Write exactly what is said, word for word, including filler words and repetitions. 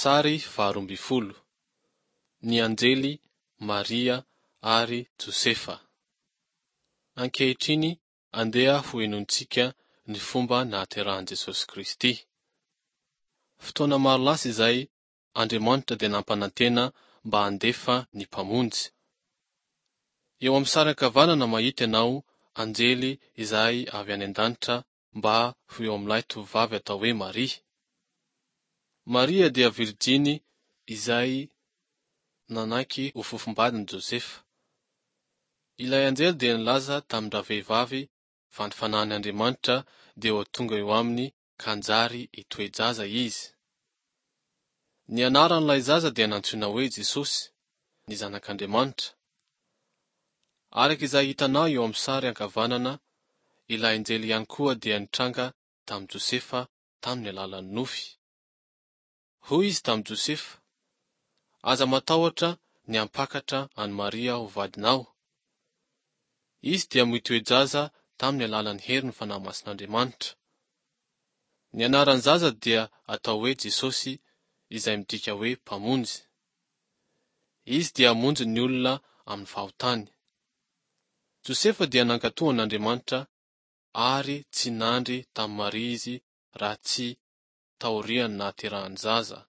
Sary faharoa ambin'ny folo. Ny anjely, Maria ary Josefa. Ankehitriny andeha ho henointsika ny fomba nahaterahan'i Jesosy Kristy. Fotoana maro lasa izay, Andriamanitra dia nampanantena mba handefa ny Mpamonjy. Eo amin'ny sary ankavanana mahita ianao anjely izay avy any an-danitra mba ho eo amin'ilay tovovavy atao hoe Maria. Maria dia virjiny izay nanaiky ho fofombadin'i Josefa. Ilay anjely dia nilaza tamin-dravehivavy fa ny fanahin'Andriamanitra dia ho tonga eo aminy ka hanjary hitoe-jaza izy. Ny anaran'ilay zaza dia nantsoina hoe Jesosy, ny Zanak'Andriamanitra. Araka izay hitanao eo amin'ny sary ankavanana, ilay anjely ihany koa dia nitranga tamin'i Josefa tamin'ny alalan'ny nofy. Hoy izy tamin'i Josefa: Aza matahotra ny hampakatra an'i Maria ho vadinao. Izy dia mitoe-jaza tamin'ny alalan'ny herin'ny Fanahy Masin'Andriamanitra. Ny anaran'ny zaza dia atao hoe Jesosy izay midika hoe Mpamonjy. Izy dia hamonjy ny olona amin'ny fahotany. Josefa dia nankatò an'Andriamanitra ary tsy nandry tamin'i Maria izy raha tsy taorian'ny nahaterahan'ny zaza.